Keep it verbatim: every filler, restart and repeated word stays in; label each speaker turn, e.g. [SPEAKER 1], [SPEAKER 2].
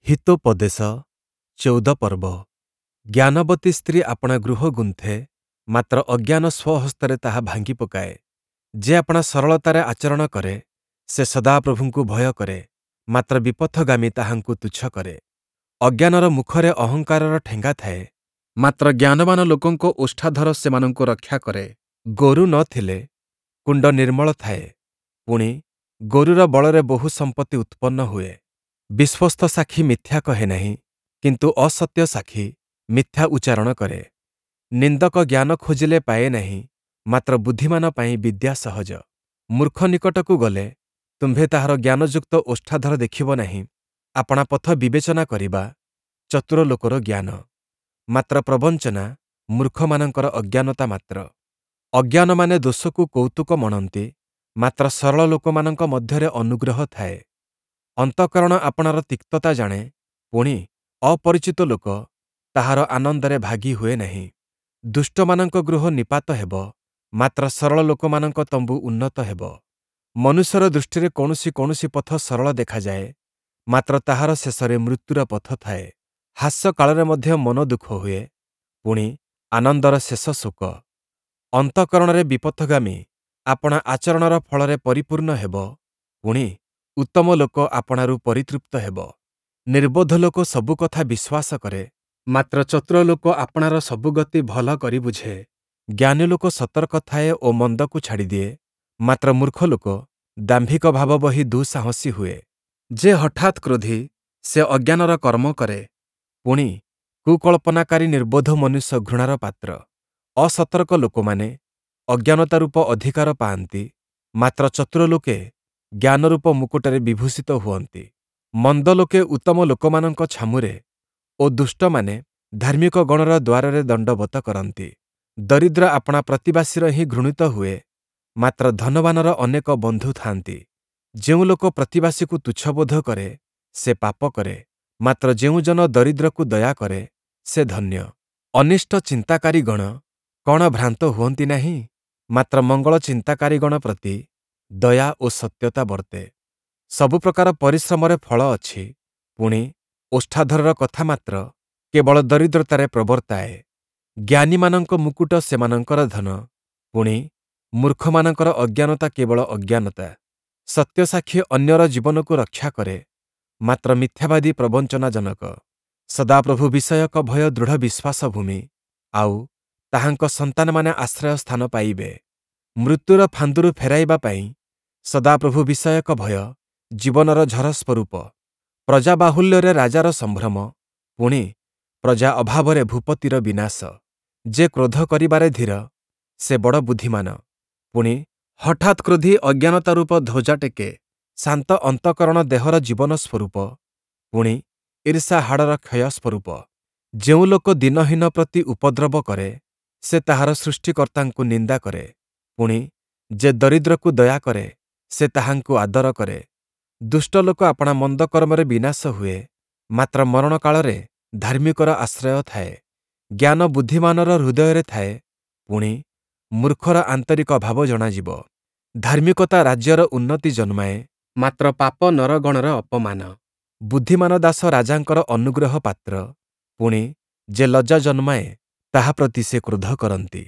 [SPEAKER 1] ହିତୋପଦେଶ ଚଉଦ ପର୍ବ। ଜ୍ଞାନବତୀ ସ୍ତ୍ରୀ ଆପଣା ଗୃହ ଗୁନ୍ଥେ, ମାତ୍ର ଅଜ୍ଞାନ ସ୍ୱହସ୍ତରେ ତାହା ଭାଙ୍ଗି ପକାଏ। ଯେ ଆପଣା ସରଳତାରେ ଆଚରଣ କରେ, ସେ ସଦାପ୍ରଭୁଙ୍କୁ ଭୟ କରେ, ମାତ୍ର ବିପଥଗାମୀ ତାହାଙ୍କୁ ତୁଚ୍ଛ କରେ। ଅଜ୍ଞାନର ମୁଖରେ ଅହଙ୍କାରର ଠେଙ୍ଗା ଥାଏ, ମାତ୍ର ଜ୍ଞାନବାନ ଲୋକଙ୍କ ଓଷ୍ଠାଧର ସେମାନଙ୍କୁ ରକ୍ଷା କରେ। ଗୋରୁ ନ ଥିଲେ କୁଣ୍ଡ ନିର୍ମଳ ଥାଏ, ପୁଣି, ଗୋରୁର ବଳରେ ବହୁ ସମ୍ପତ୍ତି ଉତ୍ପନ୍ନ ହୁଏ। ବିଶ୍ୱସ୍ତ ସାକ୍ଷୀ ମିଥ୍ୟା କହେ ନାହିଁ, କିନ୍ତୁ ଅସତ୍ୟ ସାକ୍ଷୀ ମିଥ୍ୟା ଉଚ୍ଚାରଣ କରେ। ନିନ୍ଦକ ଜ୍ଞାନ ଖୋଜିଲେ ପାଏ ନାହିଁ, ମାତ୍ର ବୁଦ୍ଧିମାନ ପାଇଁ ବିଦ୍ୟା ସହଜ। ମୂର୍ଖ ନିକଟକୁ ଗଲେ ତୁମ୍ଭେ ତାହାର ଜ୍ଞାନଯୁକ୍ତ ଓଷ୍ଠାଧର ଦେଖିବ ନାହିଁ। ଆପଣା ପଥ ବିବେଚନା କରିବା ଚତୁର ଲୋକର ଜ୍ଞାନ, ମାତ୍ର ପ୍ରବଞ୍ଚନା ମୂର୍ଖମାନଙ୍କର ଅଜ୍ଞାନତା ମାତ୍ର। ଅଜ୍ଞାନମାନେ ଦୋଷକୁ କୌତୁକ ମଣନ୍ତି, ମାତ୍ର ସରଳ ଲୋକମାନଙ୍କ ମଧ୍ୟରେ ଅନୁଗ୍ରହ ଥାଏ। ଅନ୍ତଃକରଣ ଆପଣାର ତିକ୍ତତା ଜାଣେ, ପୁଣି, ଅପରିଚିତ ଲୋକ ତାହାର ଆନନ୍ଦରେ ଭାଗୀ ହୁଏ ନାହିଁ। ଦୁଷ୍ଟମାନଙ୍କ ଗୃହ ନିପାତ ହେବ, ମାତ୍ର ସରଳ ଲୋକମାନଙ୍କ ତମ୍ବୁ ଉନ୍ନତ ହେବ। ମନୁଷ୍ୟର ଦୃଷ୍ଟିରେ କୌଣସି କୌଣସି ପଥ ସରଳ ଦେଖାଯାଏ, ମାତ୍ର ତାହାର ଶେଷରେ ମୃତ୍ୟୁର ପଥ ଥାଏ। ହାସ୍ୟକାଳରେ ମଧ୍ୟ ମନ ଦୁଃଖ ହୁଏ, ପୁଣି, ଆନନ୍ଦର ଶେଷ ଶୋକ। ଅନ୍ତଃକରଣରେ ବିପଥଗାମୀ ଆପଣା ଆଚରଣର ଫଳରେ ପରିପୂର୍ଣ୍ଣ ହେବ, ପୁଣି, ଉତ୍ତମ ଲୋକ ଆପଣାରୁ ପରିତୃପ୍ତ ହେବ। ନିର୍ବୋଧ ଲୋକ ସବୁ କଥା ବିଶ୍ୱାସ କରେ, ମାତ୍ର ଚତୁର ଲୋକ ଆପଣାର ସବୁ ଗତି ଭଲ କରି ବୁଝେ। ଜ୍ଞାନୀ ଲୋକ ସତର୍କ ଥାଏ ଓ ମନ୍ଦକୁ ଛାଡ଼ିଦିଏ, ମାତ୍ର ମୂର୍ଖ ଲୋକ ଦାମ୍ଭିକ ଭାବ ବହି ଦୁଃସାହସୀ ହୁଏ। ଯେ ହଠାତ୍ କ୍ରୋଧୀ, ସେ ଅଜ୍ଞାନର କର୍ମ କରେ, ପୁଣି, କୁକଳ୍ପନାକାରୀ ନିର୍ବୋଧ ମନୁଷ୍ୟ ଘୃଣାର ପାତ୍ର। ଅସତର୍କ ଲୋକମାନେ ଅଜ୍ଞାନତା ରୂପ ଅଧିକାର ପାଆନ୍ତି, ମାତ୍ର ଚତୁର ଲୋକେ ଜ୍ଞାନରୂପ ମୁକୁଟରେ ବିଭୂଷିତ ହୁଅନ୍ତି। ମନ୍ଦ ଲୋକେ ଉତ୍ତମ ଲୋକମାନଙ୍କ ଛାମୁରେ ଓ ଦୁଷ୍ଟମାନେ ଧାର୍ମିକଗଣର ଦ୍ୱାରରେ ଦଣ୍ଡବତ କରନ୍ତି। ଦରିଦ୍ର ଆପଣା ପ୍ରତିବାସୀର ହିଁ ଘୃଣିତ ହୁଏ, ମାତ୍ର ଧନବାନର ଅନେକ ବନ୍ଧୁ ଥାଆନ୍ତି। ଯେଉଁ ଲୋକ ପ୍ରତିବାସୀକୁ ତୁଚ୍ଛବୋଧ କରେ, ସେ ପାପ କରେ, ମାତ୍ର ଯେଉଁ ଜନ ଦରିଦ୍ରକୁ ଦୟା କରେ, ସେ ଧନ୍ୟ। ଅନିଷ୍ଟ ଚିନ୍ତାକାରୀଗଣ କଣ ଭ୍ରାନ୍ତ ହୁଅନ୍ତି ନାହିଁ? ମାତ୍ର ମଙ୍ଗଳ ଚିନ୍ତାକାରୀଗଣ ପ୍ରତି ଦୟା ଓ ସତ୍ୟତା ବର୍ତ୍ତେ। ସବୁ ପ୍ରକାର ପରିଶ୍ରମରେ ଫଳ ଅଛି, ପୁଣି, ଓଷ୍ଠାଧରର କଥା ମାତ୍ର କେବଳ ଦରିଦ୍ରତାରେ ପ୍ରବର୍ତ୍ତାଏ। ଜ୍ଞାନୀମାନଙ୍କ ମୁକୁଟ ସେମାନଙ୍କର ଧନ, ପୁଣି, ମୂର୍ଖମାନଙ୍କର ଅଜ୍ଞାନତା କେବଳ ଅଜ୍ଞାନତା। ସତ୍ୟସାକ୍ଷୀ ଅନ୍ୟର ଜୀବନକୁ ରକ୍ଷା କରେ, ମାତ୍ର ମିଥ୍ୟାବାଦୀ ପ୍ରବଞ୍ଚନାଜନକ। ସଦାପ୍ରଭୁ ବିଷୟକ ଭୟ ଦୃଢ଼ ବିଶ୍ୱାସ ଭୂମି, ଆଉ ତାହାଙ୍କ ସନ୍ତାନମାନେ ଆଶ୍ରୟ ସ୍ଥାନ ପାଇବେ। ମୃତ୍ୟୁର ଫାନ୍ଦରୁ ଫେରାଇବା ପାଇଁ ସଦାପ୍ରଭୁ ବିଷୟକ ଭୟ ଜୀବନର ଝର ସ୍ୱରୂପ। ପ୍ରଜା ବାହୁଲ୍ୟରେ ରାଜାର ସମ୍ଭ୍ରମ, ପୁଣି, ପ୍ରଜା ଅଭାବରେ ଭୂପତିର ବିନାଶ। ଯେ କ୍ରୋଧ କରିବାରେ ଧୀର, ସେ ବଡ଼ ବୁଦ୍ଧିମାନ, ପୁଣି, ହଠାତ୍ କ୍ରୋଧୀ ଅଜ୍ଞାନତା ରୂପ ଧ୍ୱଜା ଟେକେ। ଶାନ୍ତ ଅନ୍ତଃକରଣ ଦେହର ଜୀବନ ସ୍ୱରୂପ, ପୁଣି, ଈର୍ଷା ହାଡ଼ର କ୍ଷୟ ସ୍ୱରୂପ। ଯେଉଁ ଲୋକ ଦୀନହୀନ ପ୍ରତି ଉପଦ୍ରବ କରେ, ସେ ତାହାର ସୃଷ୍ଟିକର୍ତ୍ତାଙ୍କୁ ନିନ୍ଦା କରେ, ପୁଣି, ଯେ ଦରିଦ୍ରକୁ ଦୟା କରେ, ସେ ତାହାଙ୍କୁ ଆଦର କରେ। ଦୁଷ୍ଟ ଲୋକ ଆପଣା ମନ୍ଦ କର୍ମରେ ବିନାଶ ହୁଏ, ମାତ୍ର ମରଣକାଳରେ ଧାର୍ମିକର ଆଶ୍ରୟ ଥାଏ। ଜ୍ଞାନ ବୁଦ୍ଧିମାନର ହୃଦୟରେ ଥାଏ, ପୁଣି, ମୂର୍ଖର ଆନ୍ତରିକ ଭାବ ଜଣାଯିବ। ଧାର୍ମିକତା ରାଜ୍ୟର ଉନ୍ନତି ଜନ୍ମାଏ, ମାତ୍ର ପାପ ନରଗଣର ଅପମାନ। ବୁଦ୍ଧିମାନ ଦାସ ରାଜାଙ୍କର ଅନୁଗ୍ରହ ପାତ୍ର, ପୁଣି, ଯେ ଲଜ୍ଜା ଜନ୍ମାଏ, ତାହା ପ୍ରତି ସେ କ୍ରୋଧ କରନ୍ତି।